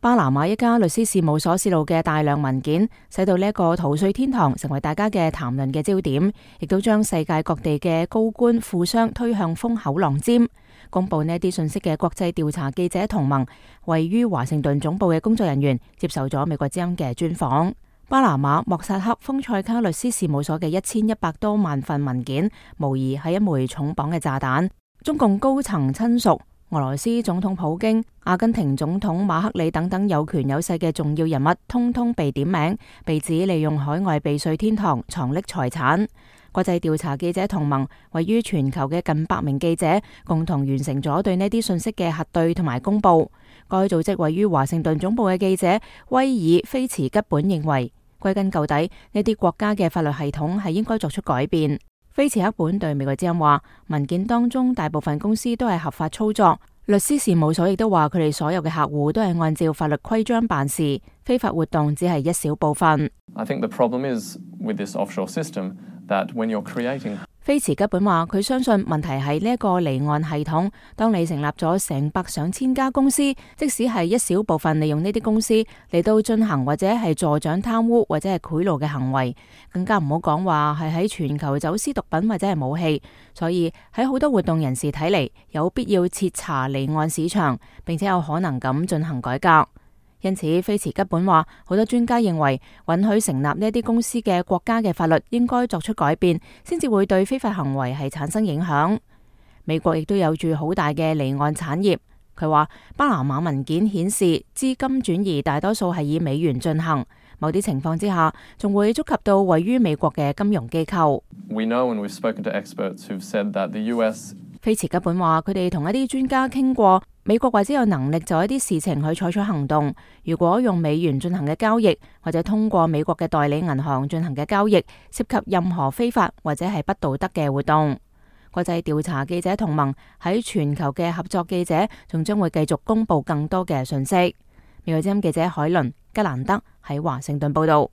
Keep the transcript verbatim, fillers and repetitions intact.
巴拿馬一家律師事務所泄露嘅大量文件，使到呢一個逃稅天堂成為大家嘅談論嘅焦點，亦都將世界各地嘅高官富商推向風口浪尖。公布呢啲信息嘅國際調查記者同盟位於華盛頓總部嘅工作人員接受咗美國之音嘅專訪。巴拿馬莫薩克豐塞卡律師事務所嘅一千一百多萬份文件，無疑係一枚重磅嘅炸彈。中共高層親屬、俄羅斯總統普京、阿根廷總統馬克里等等有權有勢嘅重要人物，通通被點名，被指利用海外避稅天堂藏匿財產。國際調查記者同盟位於全球嘅近百名記者，共同完成咗對呢啲信息嘅核對同埋公佈。該組織位於華盛頓總部嘅記者威爾菲茨吉本認為，歸根究底，呢啲國家嘅法律系統係應該作出改變。菲茨克本對美國之音話，文件當中大部分公司都係合法操作，律師事務所亦都話佢哋所有嘅客戶都係按照法律規章辦事，非法活動只係一小部分。I think the problem is with this offshore system that when you're creating菲茨吉本話，佢相信問題係呢一個離岸系統。當你成立咗成百上千家公司，即使係一小部分利用呢啲公司嚟到進行或者係助長貪污或者係賄賂嘅行為，更加唔好講話係喺全球走私毒品或者係武器。所以喺好多活動人士睇嚟，有必要徹查離岸市場，並且有可能咁進行改革。因此，菲茨吉本話，好多專家認為允許成立呢啲公司嘅國家嘅法律應該作出改變，先至會對非法行為係產生影響。美國亦都有住好大嘅離岸產業。佢話巴拿馬文件顯示資金轉移大多數係以美元進行，某啲情況之下仲會觸及到位於美國嘅金融機構。We know and we've spoken to experts who've said that the U S 菲茨吉本話，佢哋同一啲專家傾過，美國或者有能力就一啲事情去採取行動。如果用美元進行嘅交易，或者通過美國嘅代理銀行進行嘅交易，涉及任何非法或者係不道德嘅活動。國際調查記者同盟喺全球嘅合作記者，仲將會繼續公布更多嘅信息。美國之音記者海倫吉蘭德喺華盛頓報道。